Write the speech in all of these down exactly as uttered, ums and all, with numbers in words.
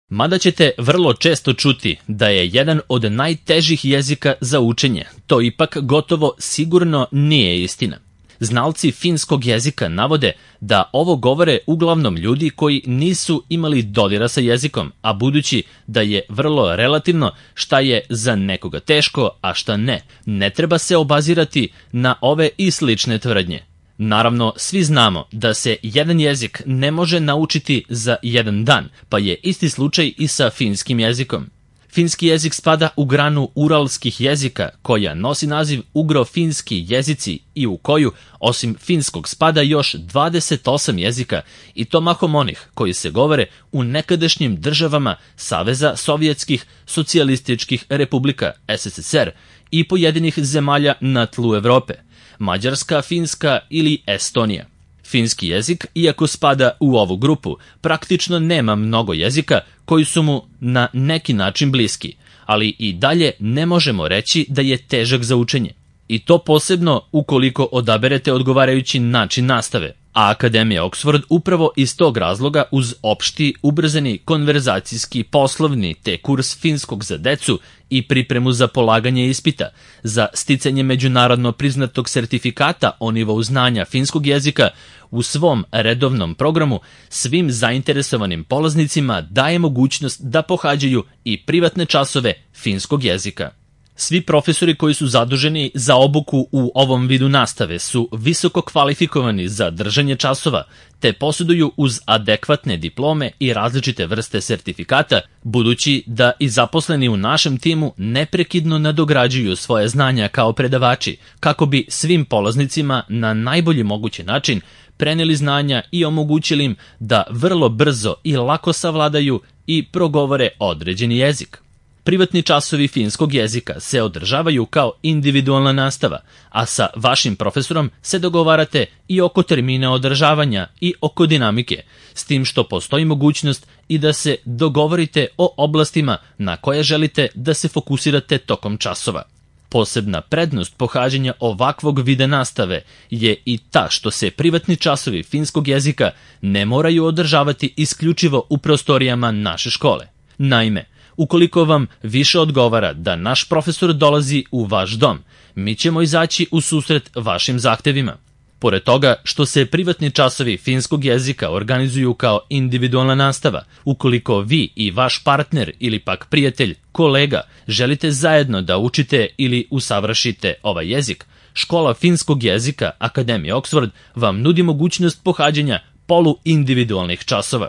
Mada ćete vrlo često čuti da je jedan od najtežih jezika za učenje, to ipak gotovo sigurno nije istina. Znalci finskog jezika navode da ovo govore uglavnom ljudi koji nisu imali dodira sa jezikom, a budući da je vrlo relativno šta je za nekoga teško, a šta ne, ne treba se obazirati na ove i slične tvrdnje. Naravno, svi znamo da se jedan jezik ne može naučiti za jedan dan, pa je isti slučaj i sa finskim jezikom. Finski jezik spada u granu uralskih jezika, koja nosi naziv ugro-finski jezici i u koju, osim finskog, spada još dvadeset osam jezika, i to mahom onih koji se govore u nekadašnjim državama Saveza Sovjetskih socijalističkih republika S S S R i pojedinih zemalja na tlu Evrope, Mađarska, Finska ili Estonija. Finski jezik, iako spada u ovu grupu, praktično nema mnogo jezika koji su mu na neki način bliski, ali i dalje ne možemo reći da je težak za učenje. I to posebno ukoliko odaberete odgovarajući način nastave, a Akademija Oxford upravo iz tog razloga uz opšti, ubrzani, konverzacijski, poslovni te kurs finskog za decu i pripremu za polaganje ispita, za sticanje međunarodno priznatog sertifikata o nivou znanja finskog jezika u svom redovnom programu svim zainteresovanim polaznicima daje mogućnost da pohađaju i privatne časove finskog jezika. Svi profesori koji su zaduženi za obuku u ovom vidu nastave su visoko kvalifikovani za držanje časova, te posjeduju uz adekvatne diplome i različite vrste sertifikata, budući da i zaposleni u našem timu neprekidno nadograđuju svoje znanja kao predavači, kako bi svim polaznicima na najbolji mogući način preneli znanja i omogućili im da vrlo brzo i lako savladaju i progovore određeni jezik. Privatni časovi finskog jezika se održavaju kao individualna nastava, a sa vašim profesorom se dogovarate i oko termina održavanja i oko dinamike, s tim što postoji mogućnost i da se dogovorite o oblastima na koje želite da se fokusirate tokom časova. Posebna prednost pohađanja ovakvog vida nastave je i ta što se privatni časovi finskog jezika ne moraju održavati isključivo u prostorijama naše škole. Naime, ukoliko vam više odgovara da naš profesor dolazi u vaš dom, mi ćemo izaći u susret vašim zahtevima. Pored toga što se privatni časovi finskog jezika organizuju kao individualna nastava, ukoliko vi i vaš partner ili pak prijatelj, kolega, želite zajedno da učite ili usavršite ovaj jezik, Škola finskog jezika Akademije Oxford vam nudi mogućnost pohađanja poluindividualnih časova.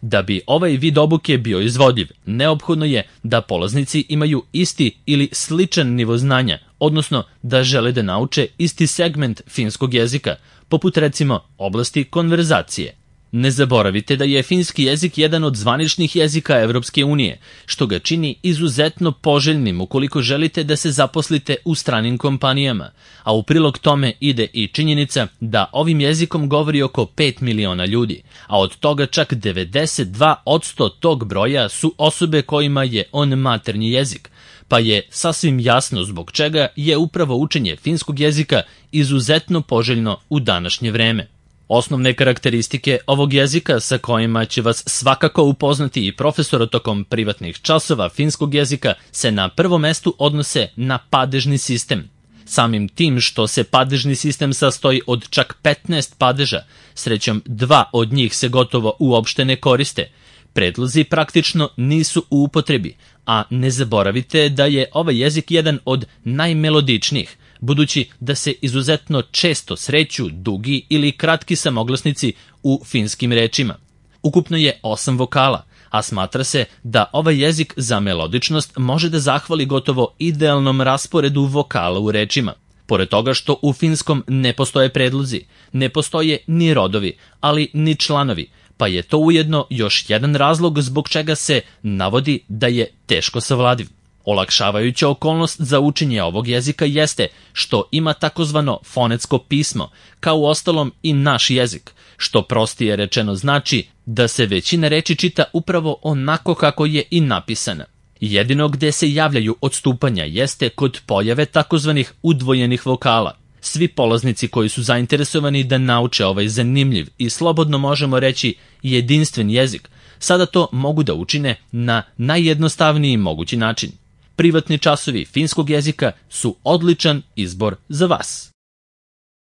Da bi ovaj vid obuke bio izvodljiv, neophodno je da polaznici imaju isti ili sličan nivo znanja, odnosno da žele da nauče isti segment finskog jezika, poput recimo oblasti konverzacije. Ne zaboravite da je finski jezik jedan od zvaničnih jezika Evropske unije, što ga čini izuzetno poželjnim ukoliko želite da se zaposlite u stranim kompanijama, a u prilog tome ide i činjenica da ovim jezikom govori oko pet miliona ljudi, a od toga čak devedeset dva posto tog broja su osobe kojima je on maternji jezik, pa je sasvim jasno zbog čega je upravo učenje finskog jezika izuzetno poželjno u današnje vreme. Osnovne karakteristike ovog jezika sa kojima će vas svakako upoznati i profesor tokom privatnih časova finskog jezika se na prvom mestu odnose na padežni sistem. Samim tim što se padežni sistem sastoji od čak petnaest padeža, srećom dva od njih se gotovo uopšte ne koriste, predlozi praktično nisu u upotrebi, a ne zaboravite da je ovaj jezik jedan od najmelodičnijih, budući da se izuzetno često sreću dugi ili kratki samoglasnici u finskim rečima. Ukupno je osam vokala, a smatra se da ovaj jezik za melodičnost može da zahvali gotovo idealnom rasporedu vokala u rečima. Pored toga što u finskom ne postoje predlozi, ne postoje ni rodovi, ali ni članovi, pa je to ujedno još jedan razlog zbog čega se navodi da je teško savladiv. Olakšavajuća okolnost za učenje ovog jezika jeste što ima takozvano fonetsko pismo, kao uostalom i naš jezik, što prostije rečeno znači da se većina reči čita upravo onako kako je i napisana. Jedino gde se javljaju odstupanja jeste kod pojave takozvanih udvojenih vokala. Svi polaznici koji su zainteresovani da nauče ovaj zanimljiv i slobodno možemo reći jedinstven jezik sada to mogu da učine na najjednostavniji mogući način. Privatni časovi finskog jezika su odličan izbor za vas.